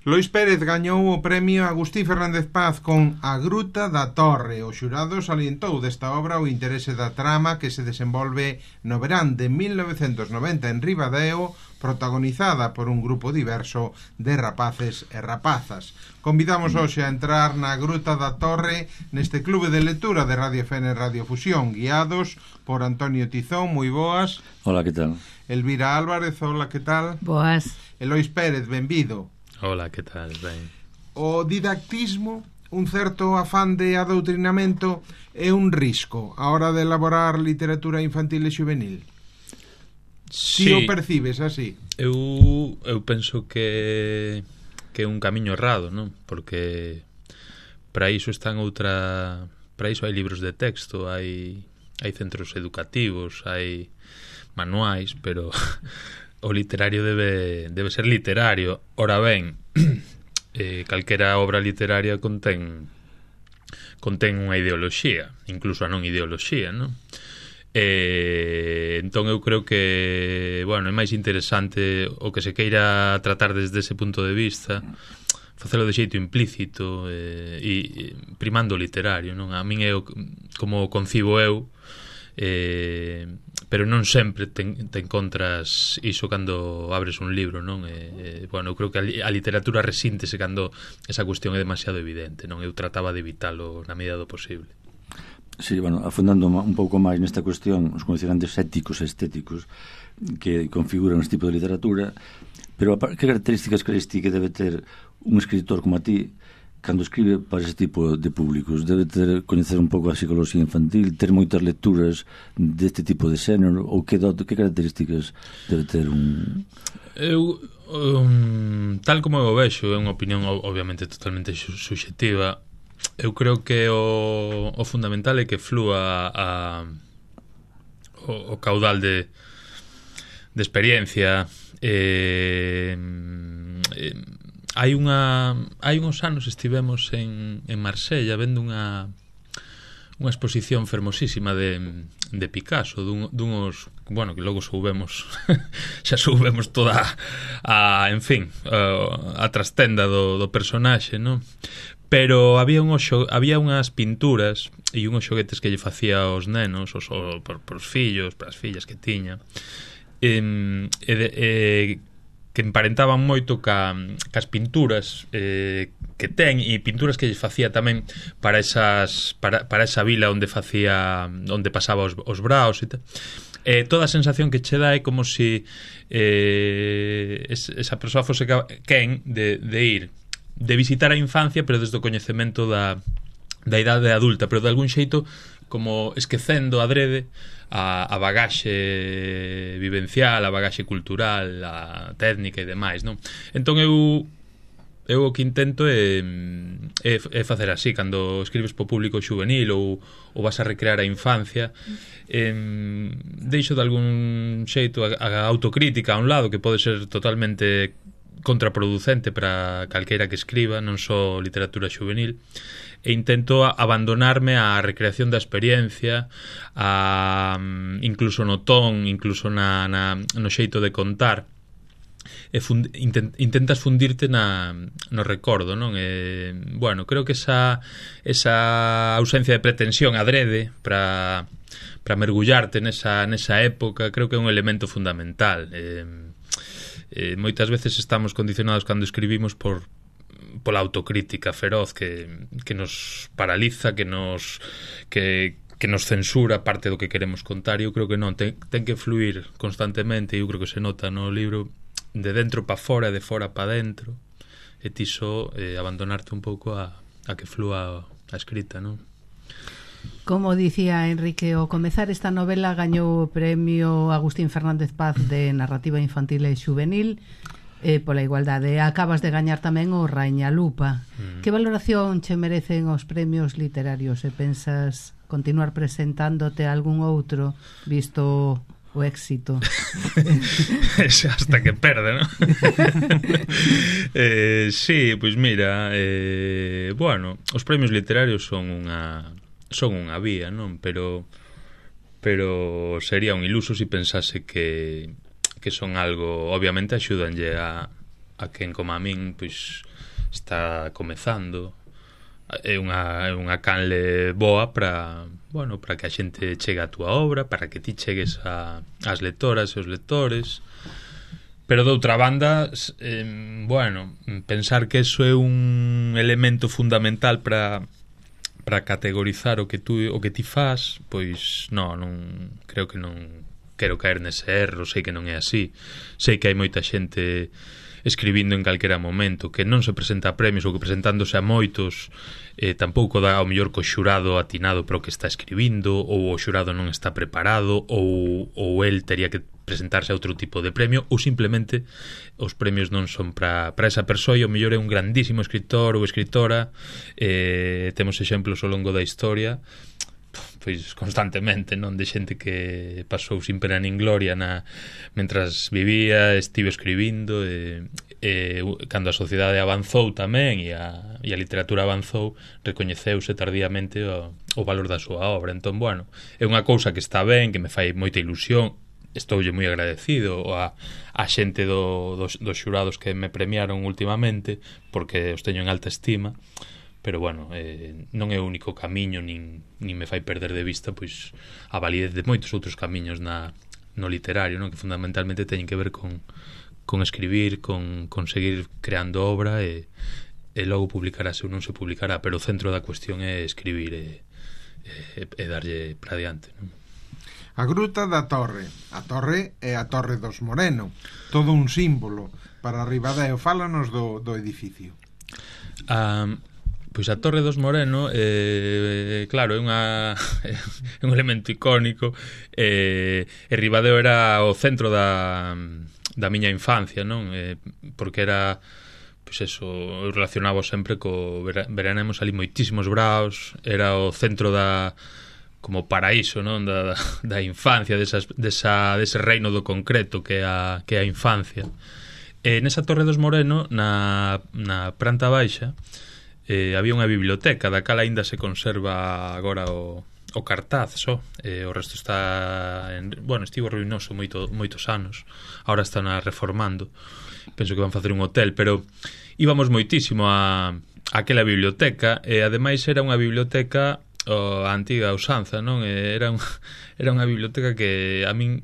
Lois Pérez gañou o premio Agustín Fernández Paz con A Gruta da Torre. O xurado salientou desta obra o interese da trama que se desenvolve no verán de 1990 en Ribadeo, protagonizada por un grupo diverso de rapaces e rapazas. Convidamos hoxe a entrar na Gruta da Torre neste clube de lectura de Radio FN Radio Fusión, guiados por Antonio Tizón. Moi boas. Hola, que tal? Elvira Álvarez, hola, que tal? Boas. E Lois Pérez, benvido. Hola, que tal? Ben. O didactismo, un certo afán de adoutrinamento, é un risco a hora de elaborar literatura infantil e juvenil? Sí, Si o percibes así? Eu penso que é un camiño errado, non? Porque para iso para iso hai libros de texto, hai centros educativos, hai manuais, pero o literario debe ser literario. Ora ben, calquera obra literaria contén unha ideoloxía, incluso a non ideoloxía, non? Entón eu creo que, bueno, é máis interesante o que se queira tratar desde ese punto de vista, facelo de xeito implícito e primando o literario, non? A min é como concibo eu, pero non sempre te encontras iso cando abres un libro, non? Bueno, eu creo que a literatura resíntese cando esa cuestión é demasiado evidente, non? Eu trataba de evitalo na medida do posible. Sí, bueno, afundando un pouco máis nesta cuestión, os condicionantes éticos e estéticos que configuran este tipo de literatura, pero que características crees ti que debe ter un escritor como a ti cando escribe para ese tipo de públicos? Debe ter coñecer un pouco a psicología infantil, ter moitas lecturas deste tipo de xénero, ou que características debe ter un... Eu, tal como eu vexo, é unha opinión obviamente totalmente subxectiva. Eu creo que o fundamental é que flúa o caudal de experiencia. Hai uns anos estivemos en Marsella vendo unha exposición fermosísima de Picasso, dunhos, bueno, que logo soubemos xa soubemos toda en fin, a trastenda do personaxe, non? Pero había unhas pinturas e unhos xoguetes que lle facía aos nenos, pros fillos, para as fillas que tiña, que emparentaban moito cas pinturas que ten, e pinturas que lle facía tamén para esa vila onde pasaba os braos e tal. Toda a sensación que che dá é como se esa persoa fose quen de ir, de visitar a infancia, pero desde o coñecemento da idade adulta, pero de algún xeito como esquecendo adrede a bagaxe vivencial, a bagaxe cultural, a técnica e demais, non? Entón eu o que intento é facer así, cando escribes po público juvenil ou vas a recrear a infancia, deixo de algún xeito a autocrítica a un lado, que pode ser totalmente contraproducente para calqueira que escriba, non só literatura juvenil, e intento abandonarme á recreación da experiencia, incluso no ton, incluso no xeito de contar, e intentas fundirte no recordo, non? Bueno, creo que esa ausencia de pretensión adrede para mergullarte nesa época, creo que é un elemento fundamental. Moitas veces estamos condicionados cando escribimos pola autocrítica feroz que nos paraliza, que nos censura parte do que queremos contar. Eu creo que non, ten que fluir constantemente, e eu creo que se nota no libro, de dentro para fora, de fora para dentro, e ti só abandonarte un pouco a que flúa a escrita, non? Como dicía Enrique, ao comezar esta novela gañou o premio Agustín Fernández Paz de narrativa infantil e juvenil pola igualdade. Acabas de gañar tamén o Raíña Lupa. Que valoración che merecen os premios literarios? E pensas continuar presentándote a algún outro, visto o éxito? Hasta que perde, non? Sí, pois mira, bueno, os premios literarios son unha vía, non? Pero sería un iluso se pensase que son algo, obviamente axúdanlle a a quen como a min pois está comezando. É unha canle boa para, bueno, para que a xente chegue a túa obra, para que ti chegues ás lectoras e os lectores. Pero de outra banda, bueno, pensar que eso é un elemento fundamental para categorizar o que ti fas, pois non creo que non quero caer nese erro, sei que non é así. Sei que hai moita xente escribindo en calquera momento, que non se presenta a premios ou que presentándose a moitos tampouco dá ao mellor co xurado atinado para o que está escribindo, ou o xurado non está preparado, ou el tería que presentarse a outro tipo de premio, ou simplemente os premios non son para esa persoa e o mellor é un grandísimo escritor ou escritora. Temos exemplos ao longo da historia, pois constantemente, non, de xente que pasou sin pena nin gloria mentras vivía, estivo escribindo, cando a sociedade avanzou tamén e a literatura avanzou, recoñeceuse tardíamente o valor da súa obra. Entón, bueno, é unha cousa que está ben, que me fai moita ilusión. Estoulle moi agradecido a xente dos xurados que me premiaron últimamente, porque os teño en alta estima. Pero, bueno, non é o único camiño, nin me fai perder de vista pois a validez de moitos outros camiños no literario, non? Que fundamentalmente teñen que ver con escribir, con seguir creando obra e logo publicarase ou non se publicará, pero o centro da cuestión é escribir e darlle para diante, non? A Gruta da Torre. A Torre é a Torre dos Moreno, todo un símbolo para Ribadeo. Fálanos do edificio. Pois a Torre dos Moreno, claro, é un elemento icónico, e Ribadeo era o centro da miña infancia, non? Porque era, pois eso, eu relacionaba sempre veranemos ali moitísimos braos, era o centro como paraíso, non? Da infancia, dese reino do concreto que é a infancia. Nesa Torre dos Moreno, na planta baixa, había unha biblioteca, da cal aínda se conserva agora o cartaz só, o resto está estivo ruinoso moitos anos, agora están reformando, penso que van facer un hotel, pero íbamos moitísimo a aquela biblioteca, e ademais era unha biblioteca a antiga usanza, non? Era unha biblioteca que a min,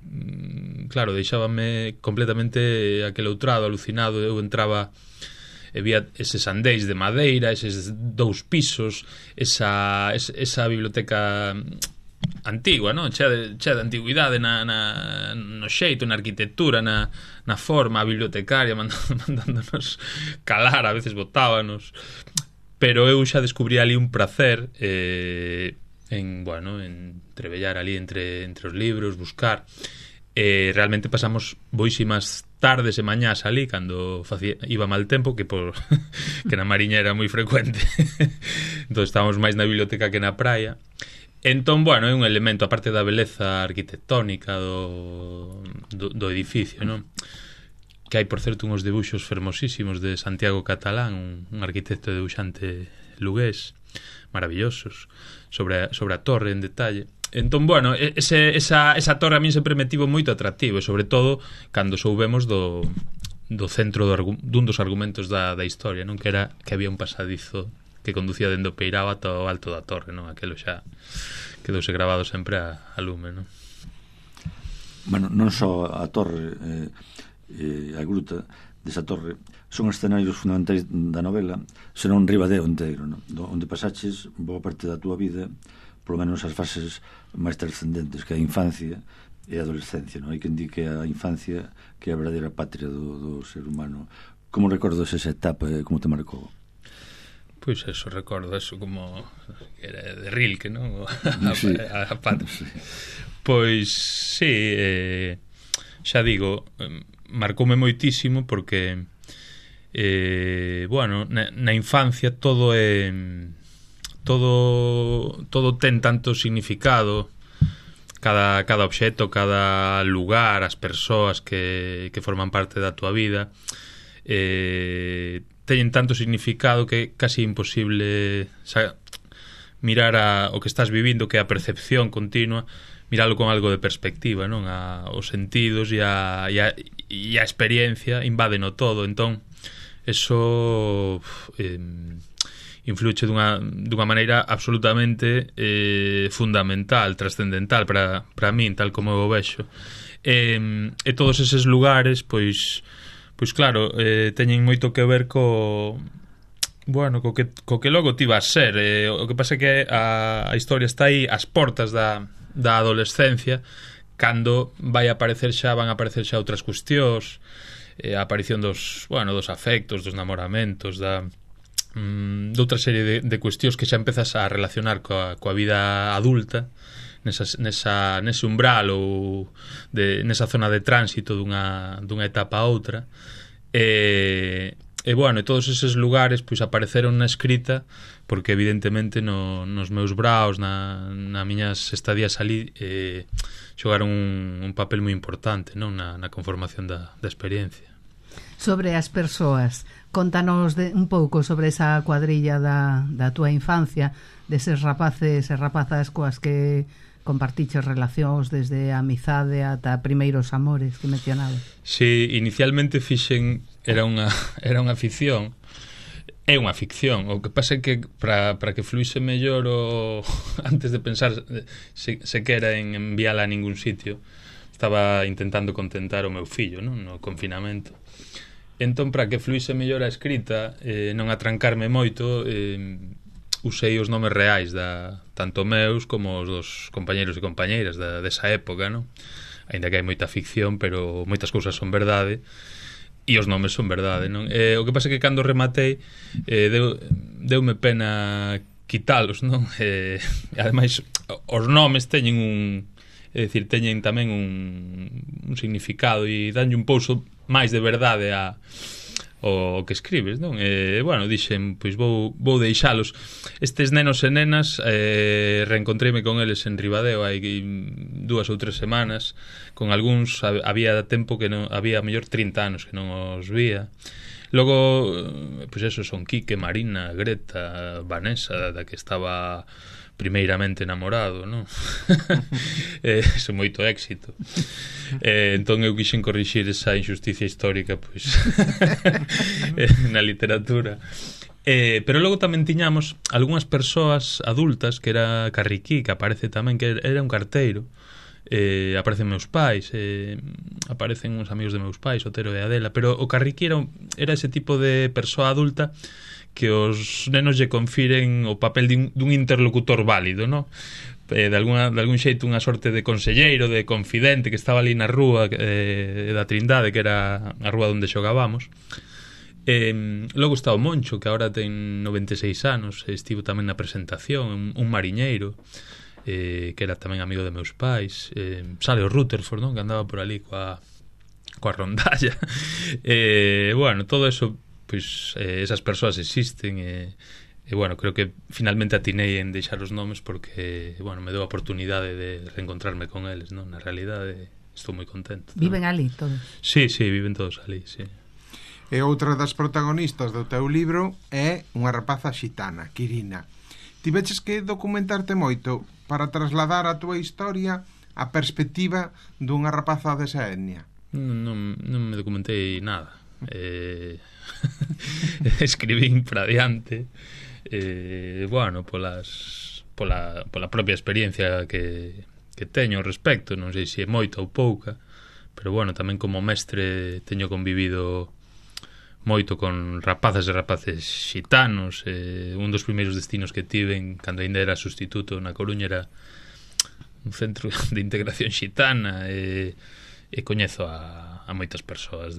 claro, deixábame completamente aqueloutrado, alucinado. Eu entraba, había eses andéis de madeira, eses 2 pisos, esa biblioteca antigua, non? Chea de antigüidade no xeito, na arquitectura, na forma, a bibliotecaria mandándonos calar, a veces botábanos. Pero eu xa descubrí ali un prazer en trebellar ali entre os libros, buscar. Realmente pasamos boísimas tardes e mañás ali cando iba mal tempo, que na Mariña era moi frecuente. Entón estábamos máis na biblioteca que na praia. Entón, é un elemento, aparte da beleza arquitectónica do edificio, non? Que hai, por certo, uns debuxos fermosísimos de Santiago Catalán, un arquitecto e debuxante lugués, maravillosos, sobre a torre en detalle. Entón, esa torre a min sempre me tivo moito atractivo, e sobre todo cando soubemos do centro dun dos argumentos da historia, non? Que era que había un pasadizo que conducía dende o Peirao ata o alto da torre, non? Aquelo xa quedouse grabado sempre a lume, non? Non só a torre a gruta desa torre son escenarios fundamentais da novela, senón Ribadeo inteiro, non? Onde pasaches boa parte da túa vida, polo menos as fases máis trascendentes, que é a infancia e a adolescencia, non? Hai quen di que a infancia que é a verdadeira patria do ser humano. Como recordas esa etapa e como te marcou? Pois eso, recordo eso como era de Rilke, non? Sí. A patria. Sí. Pois sí, xa digo, marcoume moitísimo porque na infancia todo ten tanto significado, cada obxecto, cada lugar, as persoas que forman parte da tua vida teñen tanto significado que é casi imposible mirar o que estás vivindo, que é a percepción continua, miralo con algo de perspectiva, non? Os sentidos e a experiencia invádeno todo. Entón, eso influye dunha maneira absolutamente fundamental, trascendental para min, tal como eu o vexo. E todos eses lugares, pois claro, teñen moito que ver co que logo ti vas ser. O que pasa é que a historia está aí ás portas da adolescencia, cando van a aparecer xa outras cuestións, a aparición dos afectos, dos namoramentos, de outra serie de cuestións que xa empezas a relacionar coa vida adulta, nese umbral ou nesa zona de tránsito dunha etapa a outra. E todos eses lugares pois apareceron na escrita porque evidentemente nos meus braos, na miñas estadías ali, xogaron un papel moi importante, non, na conformación da experiencia. Sobre as persoas, contanos un pouco sobre esa cuadrilla da túa infancia, deses rapaces e rapazas coas que compartiches relacións desde a amizade ata primeiros amores que mencionabas. Si, inicialmente fixen era unha ficción. É unha ficción. O que pasa é que para que fluise mellor antes de pensar se quera en enviala a ningún sitio, estaba intentando contentar o meu fillo, non, no confinamento. Entón, para que fluise mellor a escrita, non atrancarme moito, usei os nomes reais tanto meus como os dos compañeiros e compañeiras desa época, non? Ainda que hai moita ficción, pero moitas cousas son verdade e os nomes son verdade, non? O que pasa é que cando rematei deume pena quitalos, non? Ademais, os nomes teñen teñen tamén un significado e danlle un pouso máis de verdade o que escribes, non? Dixen, pois vou deixalos. Estes nenos e nenas reencontreime con eles en Ribadeo hai 2 ou 3 semanas. Con algúns había tempo que non había mellor 30 anos que non os vía. Logo, pois eso, son Quique, Marina, Greta, Vanessa, da que estaba primeiramente enamorado, non? Son moito éxito. Entón eu quixen corrixir esa injusticia histórica, pois na literatura. Pero logo tamén tiñamos algunhas persoas adultas, que era Carriquí, que aparece tamén, que era un carteiro. Aparecen meus pais, aparecen uns amigos de meus pais, Otero e Adela, pero o Carriquí era ese tipo de persoa adulta que os nenos lle confiren o papel dun interlocutor válido, non? De algún xeito unha sorte de conselleiro, de confidente, que estaba ali na rúa da Trindade, que era a rúa onde xogábamos. Logo está o Moncho, que agora ten 96 anos, estivo tamén na presentación, un mariñeiro, que era tamén amigo de meus pais. Sale o Rutherford, non? Que andaba por ali coa rondalla. Todo eso, pois esas persoas existen e creo que finalmente atinei en deixar os nomes porque me deu a oportunidade de reencontrarme con eles, non? Na realidade estou moi contento. Viven ali todos? Sí, viven todos ali, sí. E outra das protagonistas do teu libro é unha rapaza xitana, Quirina. Tiveches que documentarte moito para trasladar a túa historia a perspectiva dunha rapaza desa etnia? Non me documentei nada. Escribín para diante, pola propia experiencia que teño ao respecto. Non sei se é moita ou pouca, pero tamén como mestre teño convivido moito con rapazas e rapaces xitanos. Un dos primeiros destinos que tiven cando ainda era sustituto na Coruña era un centro de integración xitana, e coñezo a moitas persoas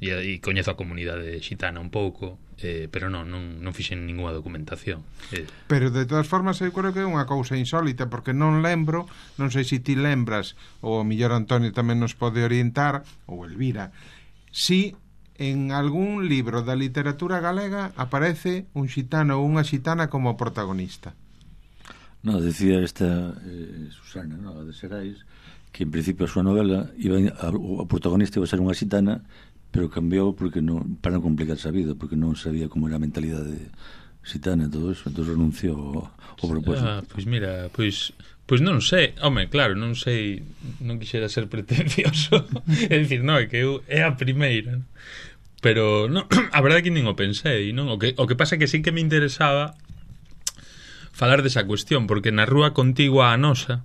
e coñezo a comunidade xitana un pouco, pero non fixen ninguna documentación. Pero de todas formas eu creo que é unha cousa insólita, porque non lembro, non sei se ti lembras, ou o millor Antonio tamén nos pode orientar, ou Elvira, si en algún libro da literatura galega aparece un xitano ou unha xitana como protagonista. No, decía esta Susana, no, de Serais, que en principio a súa novela o protagonista iba a ser unha xitana, pero cambiou porque para non complicarse a vida, porque non sabía como era a mentalidade xitana e todo eso, entón renunciou ao propósito. Pois mira, pois non sei, claro, non sei, non quixera ser pretencioso, é dicir, é que é a primeira, pero non, a verdade que nin o pensei, non? O que pasa é que sí que me interesaba falar desa cuestión, porque na rúa contigua a nosa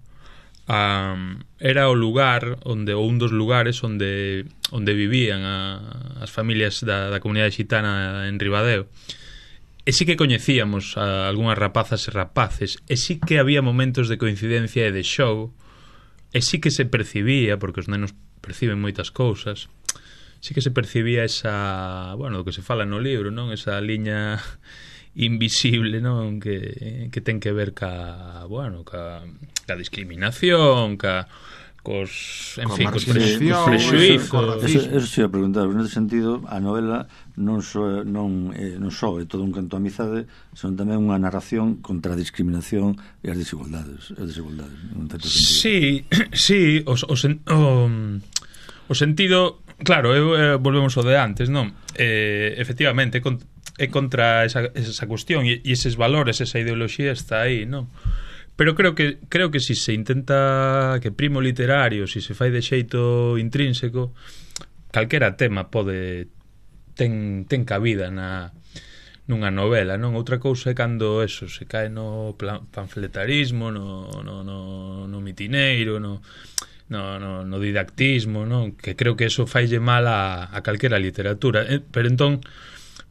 era o lugar onde, ou un dos lugares onde vivían as familias da comunidade xitana en Ribadeo. E sí que coñecíamos a algunhas rapazas e rapaces, e sí que había momentos de coincidencia e de xogo, e sí que se percibía, porque os nenos perciben moitas cousas, sí que se percibía esa, bueno, o que se fala no libro, non? Esa liña invisible, non? Que ten que ver ca discriminación, cos prexuízos. Eso se ia preguntar, nese sentido, a novela non só é todo un canto a amizade, senón tamén unha narración contra a discriminación e as desigualdades, non certo sentido. Sí, o sentido, claro, volvemos ao de antes, non? Efectivamente, é contra esa cuestión e eses valores, esa ideoloxía está aí, non? Pero creo que si se intenta que primo literario, si se fai de xeito intrínseco, calquera tema ten cabida nunha novela, non? Outra cousa é cando eso se cae no panfletarismo, no mitineiro, no didactismo, non? Que creo que eso faille mal a calquera literatura. Pero entón,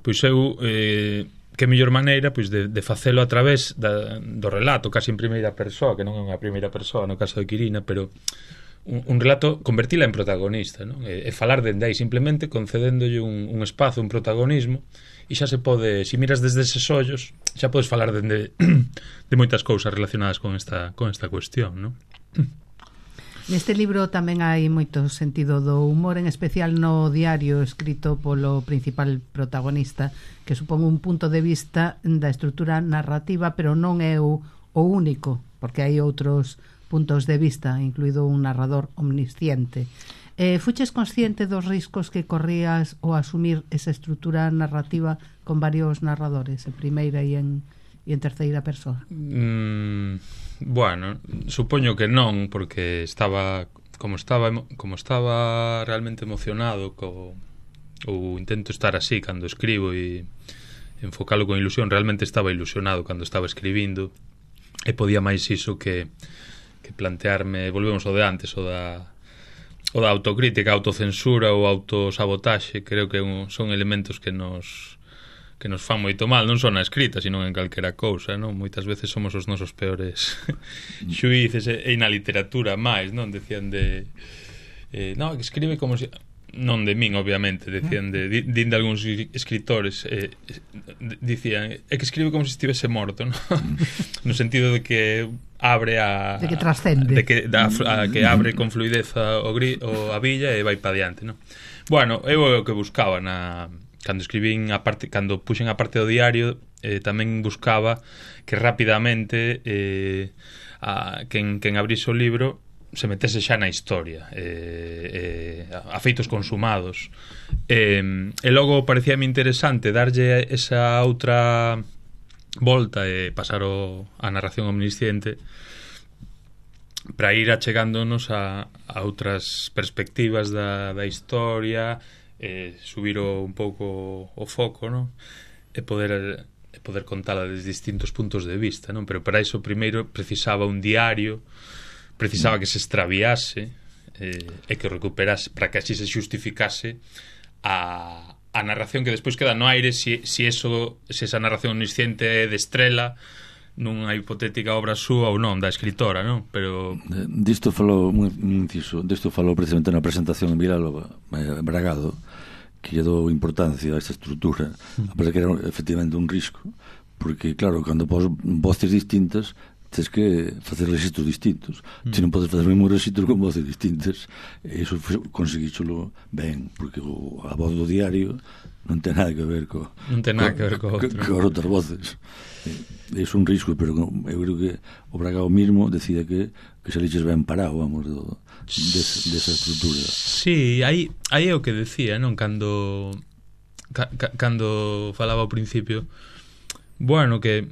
pois eu que mellor maneira pois de facelo a través do relato, casi en primeira persoa, que non é unha primeira persoa no caso de Quirina, pero un relato, convertila en protagonista, non? E falar dende aí, simplemente concedéndolle un espazo, un protagonismo, e xa se pode, se miras desde eses ollos, xa podes falar de moitas cousas relacionadas con esta cuestión, non? Neste libro tamén hai moito sentido do humor, en especial no diario escrito polo principal protagonista, que supón un punto de vista da estrutura narrativa, pero non é o único, porque hai outros puntos de vista, incluído un narrador omnisciente. Fuches consciente dos riscos que corrías ao asumir esa estrutura narrativa con varios narradores, en primeira e en terceira persoa? Bueno, supoño que non, porque estaba realmente emocionado ou intento estar así cando escribo e enfocalo con ilusión. Realmente estaba ilusionado cando estaba escribindo e podía máis iso que plantearme, volvemos ao de antes, o da autocrítica, autocensura ou autosabotaxe. Creo que son elementos que nos fan moito mal, non só na escrita, sino en calquera cousa, non? Moitas veces somos os nosos peores xuíces, e na literatura máis, non? Decían de no, que escribe como si... Non de min, obviamente, decían din de algúns escritores, dicían, é que escribe como se estivese morto, non? No sentido de que abre de que trascende, que abre con fluidez a villa e vai pa diante, non? Bueno, eu o que buscaba cando escribín cando puxen a parte do diario, tamén buscaba que rapidamente quen abrise o libro se metese xa na historia, a feitos consumados, e logo parecíame interesante darlle esa outra volta e pasar a narración omnisciente para ir achegándonos a outras perspectivas da historia, subir un pouco o foco, non? E poder contala desde distintos puntos de vista, non? Pero para iso primeiro precisaba un diario, precisaba que se extraviase e que recuperase, para que así se xustificase a narración que despois queda no aire, se esa narración omnisciente é de Estrela nunha hipotética obra súa ou non, da escritora, non? Pero disto falou precisamente na presentación en Vilalba, Bragado, que lle dou importancia a esta estrutura, a pesar que era efectivamente un risco, porque claro, cando pos voces distintas tens que facer registros distintos. Se non podes facer o mesmo registro con voces distintas, e iso conseguícholo ben, porque a voz do diario non ten nada que ver co outras voces. É un risco, pero eu creo que o Bragado mismo decide que se liches ben parado, vamos, desa estrutura. Sí, aí é o que decía, non? Cando falaba ao principio, bueno, que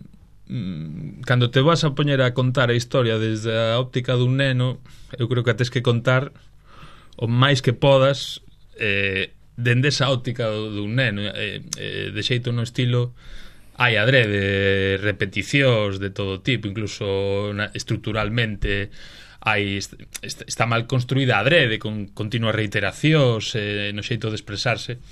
cando te vas a poñer a contar a historia desde a óptica dun neno, eu creo que tes que contar o máis que podas dende esa óptica dun neno, de xeito no estilo hai adrede repeticións de todo tipo, incluso estructuralmente está mal construída adrede, con continuas reiteracións no xeito de expresarse.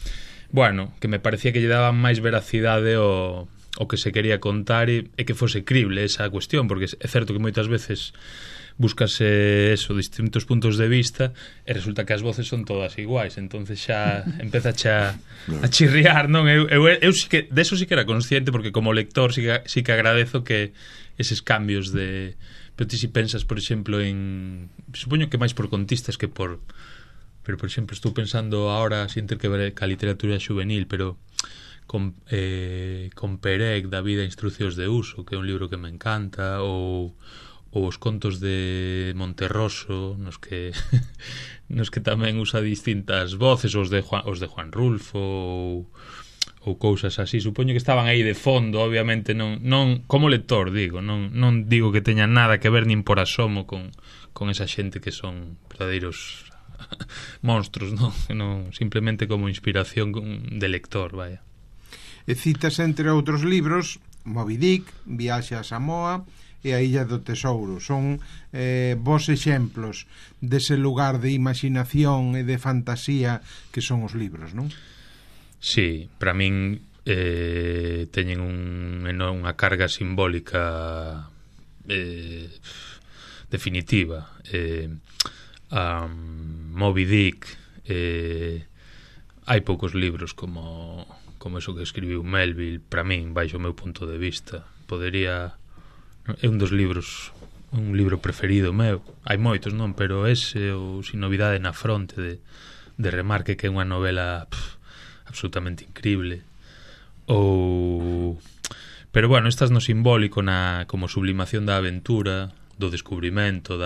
Bueno, que me parecía que lle daban máis veracidade o que se quería contar e que fose crible esa cuestión, porque é certo que moitas veces búscase eso, distintos puntos de vista e resulta que as voces son todas iguais, entonces xa empeza a chirriar, non? Eu sí que, de eso sí que era consciente, porque como lector sí que agradezo que eses cambios de... Pero ti si pensas, por exemplo, en... Supoño que máis por contistas que por... Pero, por exemplo, estou pensando ahora sin ter que ver ca literatura juvenil, pero con Perec, da vida e instruccións de uso, que é un libro que me encanta, ou os contos de Monterroso, nos que tamén usa distintas voces, os de Juan Rulfo, ou cousas así. Supoño que estaban aí de fondo, obviamente non como lector, digo, non digo que teña nada que ver nin por asomo con esa xente que son verdadeiros monstruos, non, simplemente como inspiración de lector, vaya. E citas, entre outros libros, Moby Dick, Viaxe a Samoa e a Illa do Tesouro. Son vos exemplos dese lugar de imaginación e de fantasía que son os libros, non? Sí, para min teñen unha carga simbólica definitiva. Moby Dick, hai poucos libros como eso que escribiu Melville, para min, baixo o meu punto de vista. É un dos libros, un libro preferido meu. Hai moitos, non? Pero ese, ou Sin novidade na fronte, de Remarque, que é unha novela absolutamente increíble. Pero bueno, estas no simbólico, como sublimación da aventura, do descubrimento,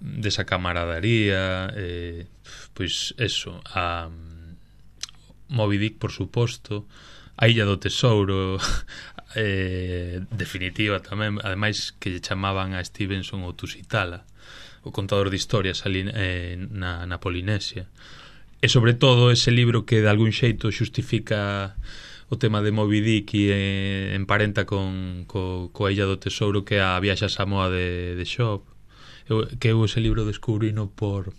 desa camaradería, pois eso, a Moby Dick, por suposto, a Illa do Tesouro, definitiva tamén, ademais que lle chamaban a Stevenson o Tusitala, o contador de historias ali na Polinesia, e sobre todo ese libro que de algún xeito xustifica o tema de Moby Dick e emparenta coa Illa do Tesouro, que é a Viaxe a Samoa de Shop, que eu ese libro descubrino por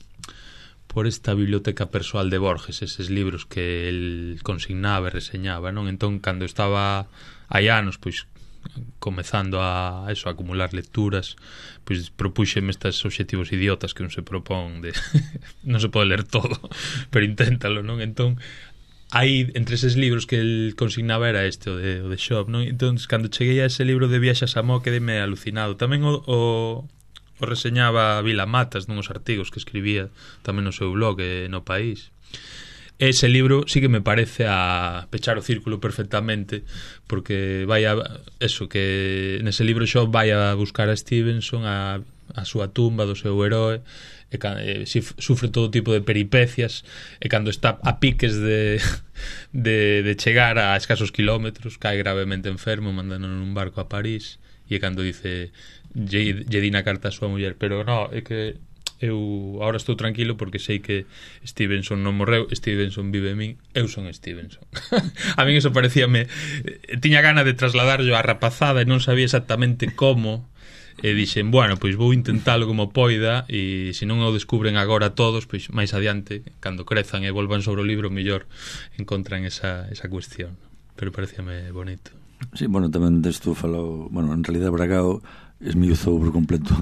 esta biblioteca persoal de Borges, eses libros que el consignaba e reseñaba, non? Entón, cando estaba hai anos, pois, comezando a acumular lecturas, pois propúxeme estes obxectivos idiotas que non se propón de non se pode ler todo, pero inténtalo, non? Entón, hai entre eses libros que el consignaba era este, o de Shop, non? Entón, cando cheguei a ese libro de Viaxe a Samoa, quedeme alucinado. Tamén o reseñaba Vila Matas nuns artigos que escribía tamén no seu blog no País. Ese libro sí que me parece a pechar o círculo perfectamente, porque vai a eso, que nese libro xa vai a buscar a Stevenson a súa tumba do seu heroe, e sufre todo tipo de peripecias, e cando está a piques de chegar a escasos kilómetros, cae gravemente enfermo, mandando nun barco a París, e cando dice lle di na carta a súa muller, pero no, é que eu agora estou tranquilo porque sei que Stevenson non morreu, Stevenson vive en min, eu son Stevenson. A min eso parecíame, tiña gana de trasladarlo á rapazada e non sabía exactamente como, e dixen, bueno, pois vou intentalo como poida, e se non o descubren agora todos, pois máis adiante, cando crezan e volvan sobre o libro, mellor encontran esa cuestión. Pero parecíame bonito. Sí, bueno, tamén desto falou, bueno, en realidad Bragao esmiuzou por completo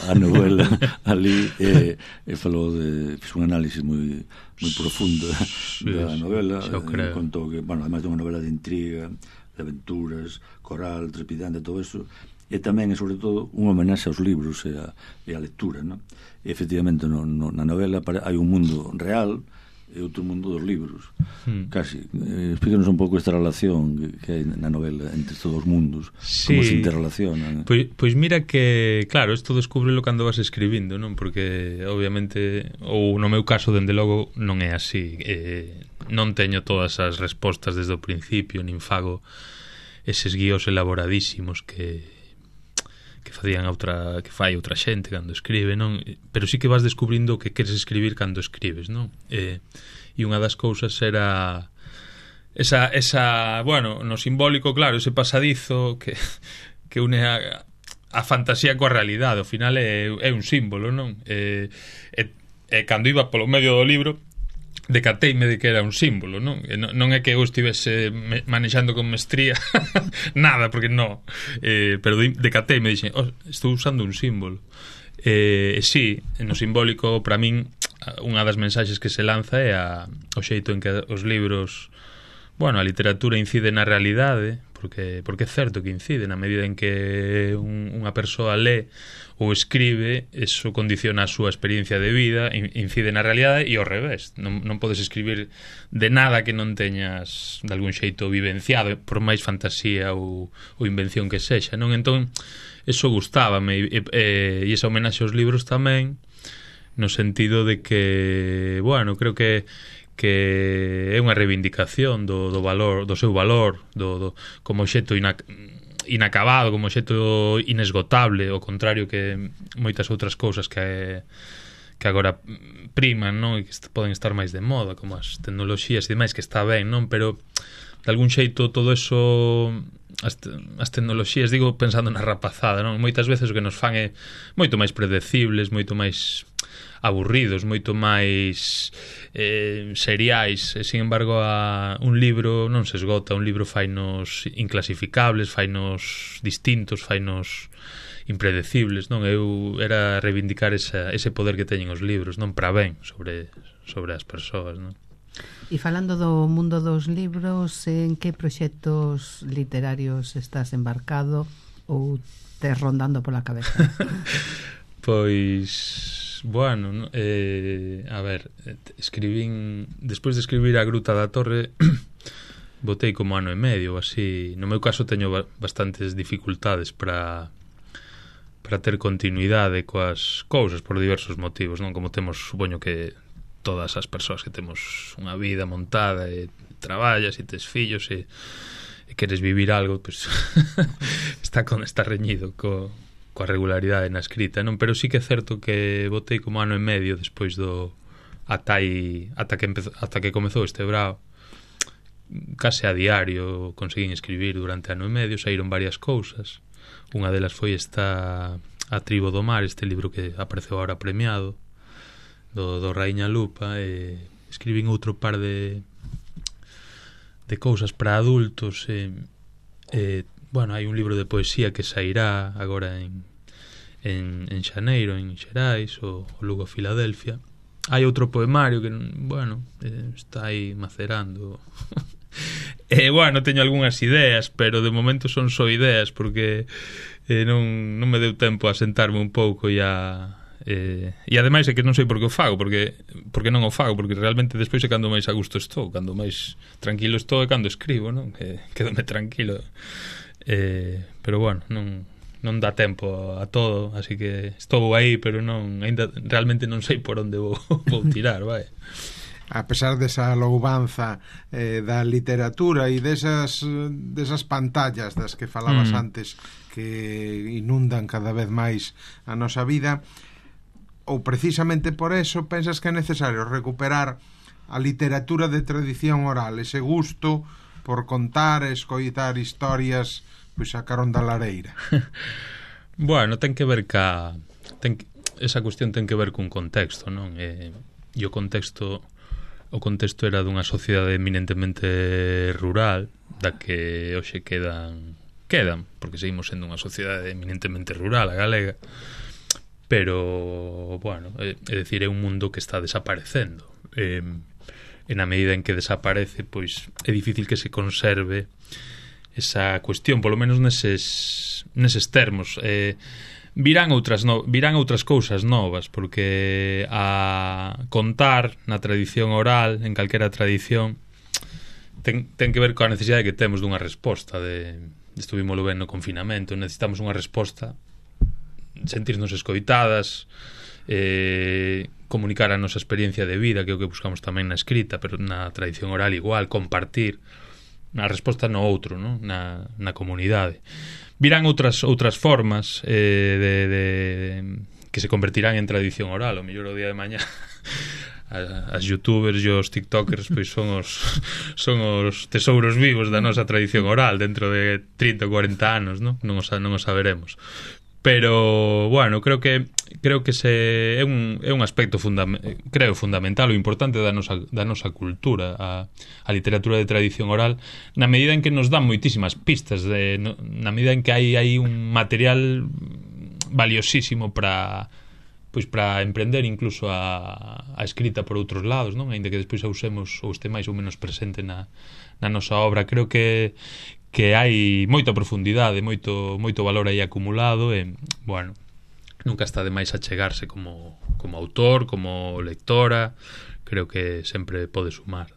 a novela ali e falou fiz un análisis moi profundo da novela, contou que, bueno, además de unha novela de intriga, de aventuras, coral, trepidante, todo eso, e tamén, e sobre todo, unha homenaxe aos libros e a lectura, non? E efectivamente na novela hai un mundo real e outro mundo dos libros, casi. Explícanos un pouco esta relación que hai na novela entre estes dos mundos, como se interrelacionan. Pois mira que, claro, isto descúbrelo cando vas escribindo, non? Porque, obviamente, ou no meu caso, dende logo, non é así. Non teño todas as respostas desde o principio, nin fago eses guíos elaboradísimos que fai outra xente cando escribe, non? Pero sí que vas descubrindo o que queres escribir cando escribes, non? E e unha das cousas era esa bueno, no simbólico, claro, ese pasadizo que une a fantasía coa realidade. Ao final é un símbolo, non? E cando iba polo medio do libro decateime de que era un símbolo, non? Non é que eu estivese manexando con mestría nada, porque non, pero decateime e dixen, estou usando un símbolo. Sí, no simbólico, para min, unha das mensaxes que se lanza é o xeito en que os libros, bueno, a literatura incide na realidade, porque é certo que incide, na medida en que unha persoa lee ou escribe, eso condiciona a súa experiencia de vida, incide na realidade, e ao revés, non podes escribir de nada que non teñas de algún xeito vivenciado, por máis fantasía ou invención que sexa, non? Entón, eso gustábame, e esa homenaxe aos libros tamén, no sentido de que, bueno, creo que é unha reivindicación do valor, do seu valor, como xeto inacabado, como xeto inesgotable, ao contrario que moitas outras cousas que agora priman, non? E que poden estar máis de moda, como as tecnoloxías e demais, que está ben, non? Pero de algún xeito todo eso, as tecnoloxías, digo pensando na rapazada, non? Moitas veces o que nos fan é moito máis predecibles, moito máis aburridos, moito máis seriais, e, sin embargo, un libro non se esgota, un libro fainos inclasificables, fainos distintos, fainos impredecibles, non? Eu era reivindicar ese poder que teñen os libros, non? Para ben sobre as persoas, non? E falando do mundo dos libros, en que proxectos literarios estás embarcado ou tes rondando pola cabeza? Pois, bueno, a ver, escribín, despois de escribir A Gruta da Torre, botei como ano e medio, así. No meu caso teño bastantes dificultades para ter continuidade coas cousas por diversos motivos, non? Como temos, supoño que todas as persoas que temos unha vida montada e traballas e tes fillos e queres vivir algo, pues, está reñido coa regularidade na escrita, non? Pero sí que é certo que botei como ano e medio despois ata que comezou este brao, case a diario conseguín escribir durante ano e medio, saíron varias cousas. Unha delas foi esta A Tribo do Mar, este libro que apareceu agora premiado do Raíña Lupa, e escribín outro par de cousas para adultos, bueno, hai un libro de poesía que sairá agora en xaneiro en Xerais, o Lugo Filadelfia. Hai outro poemario que, bueno, está aí macerando. Bueno, teño algunhas ideas, pero de momento son só ideas, porque non me deu tempo a sentarme un pouco e ademais é que non sei por que o fago, porque non o fago, porque realmente despois é cando máis a gusto estou, cando máis tranquilo estou é cando escribo, non? Que quedome tranquilo, pero bueno, non dá tempo a todo, así que estou aí, pero ainda realmente non sei por onde vou tirar, vai. A pesar desa louvanza da literatura e desas pantallas das que falabas antes, que inundan cada vez máis a nosa vida, ou precisamente por eso pensas que é necesario recuperar a literatura de tradición oral, ese gusto por contar e escoitar historias, pois a carón da lareira? Bueno, ten que ver esa cuestión ten que ver cun contexto, non? E o contexto era dunha sociedade eminentemente rural, da que hoxe quedan, porque seguimos sendo unha sociedade eminentemente rural, a galega, pero, bueno, é dicir, é un mundo que está desaparecendo, e na medida en que desaparece, pois é difícil que se conserve esa cuestión, polo menos neses termos. Virán outras cousas novas, porque a contar na tradición oral, en calquera tradición, ten que ver coa necesidade que temos dunha resposta. Estuvimos ben no confinamento, necesitamos unha resposta, sentirnos escoitadas, comunicar a nosa experiencia de vida, que é o que buscamos tamén na escrita, pero na tradición oral igual, compartir a resposta no outro, non? Na comunidade. Virán outras formas que se convertirán en tradición oral. O mellor o día de mañá as youtubers e os tiktokers pois son os tesouros vivos da nosa tradición oral dentro de 30 ou 40 anos, non o saberemos. Pero, bueno, creo que é un aspecto fundamental, o importante da nosa cultura, a literatura de tradición oral, na medida en que nos dan moitísimas pistas, na medida en que hai un material valiosísimo para emprender incluso a escrita por outros lados, non? Ainda que despois a usemos ou este máis ou menos presente na nosa obra. Creo que hai moita profundidade, moito valor aí acumulado e, bueno, nunca está de máis achegarse como autor, como lectora. Creo que sempre pode sumar.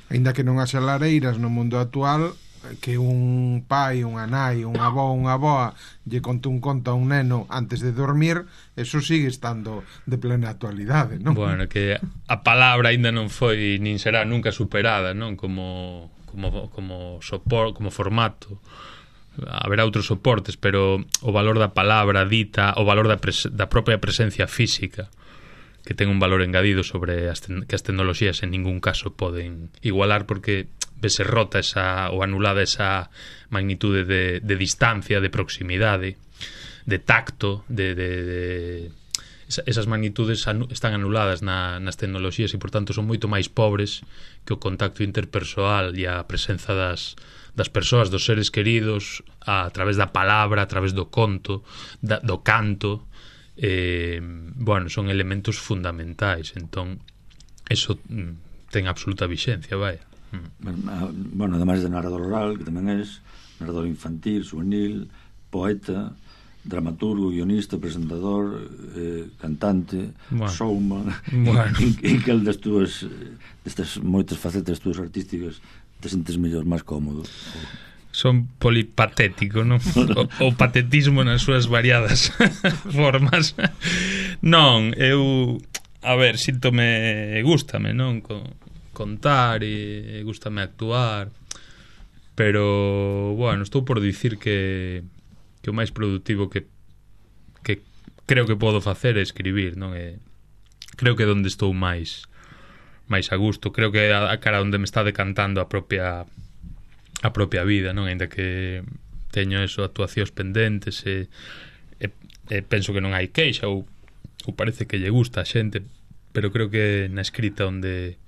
Ainda que non haxa lareiras no mundo actual, que un pai, unha nai, un avó, unha avoa lle conte un conto a un neno antes de dormir, eso sigue estando de plena actualidade, non? Bueno, que a palabra aínda non foi nin será nunca superada, non? Como formato. Haberá outros soportes, pero o valor da palabra dita, o valor da propia presencia física, que ten un valor engadido sobre que as tecnoloxías en ningún caso poden igualar, porque vese rota ou anulada esa magnitude de distancia, de proximidade, de tacto, esas magnitudes están anuladas nas tecnoloxías e, por tanto, son moito máis pobres que o contacto interpersoal e a presenza das persoas, dos seres queridos, a través da palabra, a través do conto, do canto. Bueno, son elementos fundamentais. Entón, eso ten absoluta vixencia, vai. Bueno, ademais de narrador oral, que tamén és narrador infantil, juvenil, poeta, dramaturgo, guionista, presentador, cantante, showman. En que destas moitas facetas túas artísticas te sentes mellor, máis cómodo? Son polipatético, non? O patetismo nas súas variadas formas. Non, eu, a ver, gústame, non? Contar e gústame actuar, pero, bueno, estou por dicir que o máis productivo que creo que podo facer é escribir, non? Creo que onde estou máis a gusto, creo que a cara onde me está decantando a propia vida, non? Ainda que teño actuacións pendentes e penso que non hai queixa ou parece que lle gusta a xente, pero creo que na escrita onde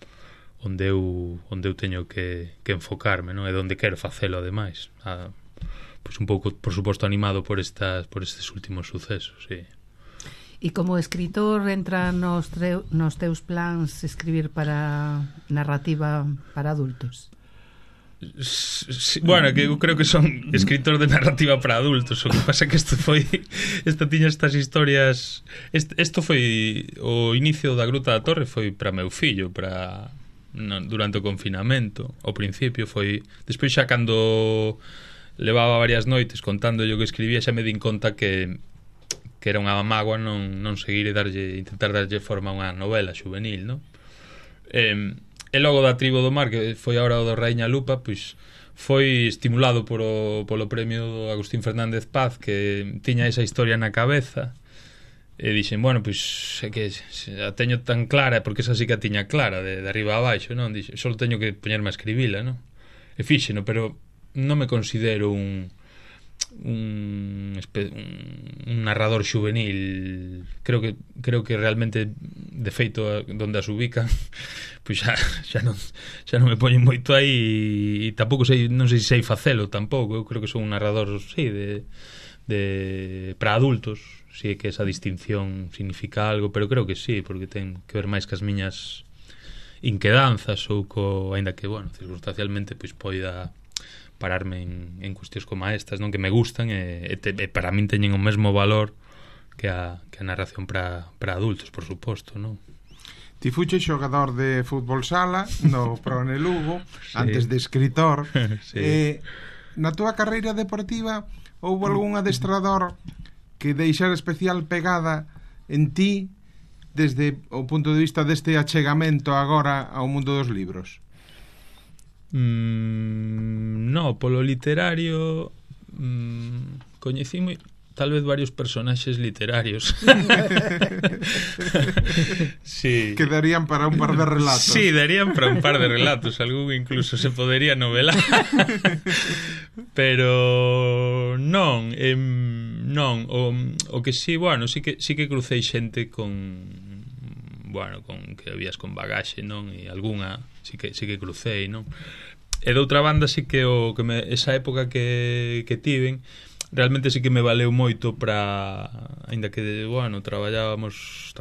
eu teño que enfocarme, non? E onde quero facelo, ademais, pois un pouco, por suposto, animado por estes últimos sucesos, sí. E como escritor entra nos teus plans escribir para narrativa para adultos? Sí, bueno, que eu creo que son escritor de narrativa para adultos. O que pasa que tiña estas historias. Isto foi o inicio da Gruta da Torre, foi para meu fillo, durante o confinamento. Ao principio foi, despois xa cando levaba varias noites contando o que escribía, xa me din conta que era unha mágoa non seguir e intentar darlle forma a unha novela juvenil, non? E logo da Tribo do Mar, que foi agora o do Raíña Lupa, pois foi estimulado polo premio Agustín Fernández Paz, que tiña esa historia na cabeza, e dixen, bueno, pois é que a teño tan clara, porque esa sí que a tiña clara de arriba a baixo, non? Dixen, só teño que poñerme a escribila, non? E fíxeno, pero non me considero un narrador juvenil. Creo que realmente, de feito, donde as ubican, pois xa non me poñen moito aí, e tampouco non sei se sei facelo tampouco. Eu creo que son un narrador, sí, para adultos, si é que esa distinción significa algo, pero creo que sí, porque ten que ver máis que as miñas inquedanzas ou aínda que, bueno, circunstancialmente pois poida pararme en cuestións como estas, non, que me gustan e para min teñen o mesmo valor que a narración para adultos, por suposto, non? Ti fuche xogador de fútbol sala no Prone Lugo, sí, antes de escritor. Sí. Na túa carreira deportiva houve algún adestrador que deixara especial pegada en ti desde o punto de vista deste achegamento agora ao mundo dos libros? No, polo literario coñecí tal vez varios personaxes literarios. Sí. Quedarían para un par de relatos. Sí, darían para un par de relatos. Algún incluso se podería novelar. Pero non, non, o que sí, bueno, sí que crucei xente con que habías con bagaxe, non? E algunha sí que crucei, non? E de outra banda sí que esa época que tiven realmente sí que me valeu moito para, aínda que, bueno, traballábamos,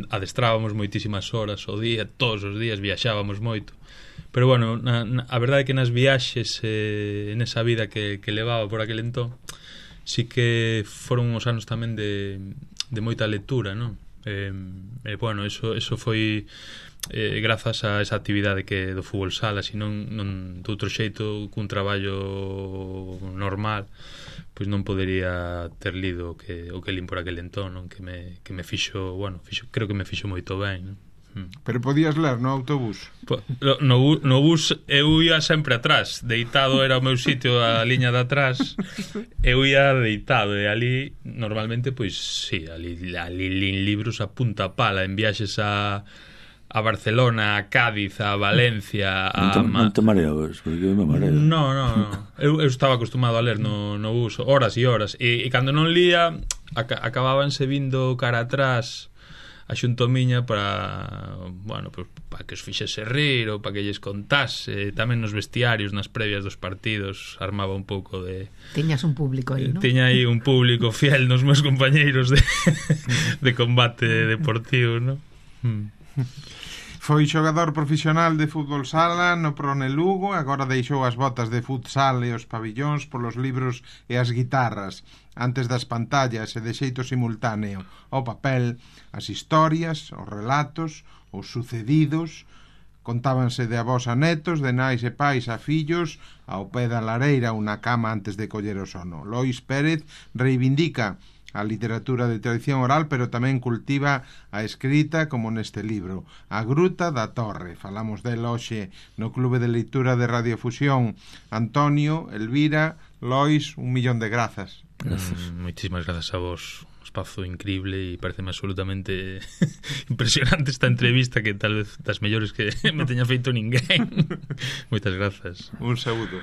adestrábamos moitísimas horas ao día, todos os días viaxábamos moito. Pero bueno, a verdade é que nas viaxes nesa vida que levaba por aquel entón, sí que foron uns anos tamén de moita lectura, non? Bueno, eso foi grazas a esa actividade que do fútbol sala, se non de outro xeito, cun traballo normal, pois non podería ter lido o que lin por aquel entón, non? Que me fixo, bueno, creo que me fixo moito ben, non? Pero podías ler no autobús? No bus eu ia sempre atrás, deitado era o meu sitio, a liña de atrás, eu ia deitado, e ali normalmente, pois sí, ali lin libros a punta pala, en viaxes a Barcelona, a Cádiz, a Valencia, Non te mareabas, porque me mareo. No. Eu estaba acostumado a ler no bus horas e horas, e cando non lía acababanse vindo cara atrás a xunto miña para, bueno, pues, para que os fixese rir ou para que lles contase. Tamén nos vestiarios, nas previas dos partidos, armaba un pouco de... Tiñas un público aí, non? Tiña aí un público fiel nos meus compañeiros de combate deportivo, non? Foi xogador profesional de fútbol sala no Prone Lugo, agora deixou as botas de futsal e os pabillóns polos libros e as guitarras, antes das pantallas e de xeito simultáneo, o papel, as historias, os relatos, os sucedidos, contábanse de avós a netos, de nais e pais a fillos, ao pé da lareira unha cama antes de coller o sono. Lois Pérez reivindica a literatura de tradición oral, pero tamén cultiva a escrita, como neste libro, A Gruta da Torre. Falamos del hoxe no Clube de Leitura de Radiofusión. Antonio, Elvira, Lois, 1.000.000 de grazas. Moitísimas grazas a vos. Un espazo increíble e pareceme absolutamente impresionante esta entrevista, que tal vez das mellores que me teña feito ninguén. Moitas grazas. Un saúdo.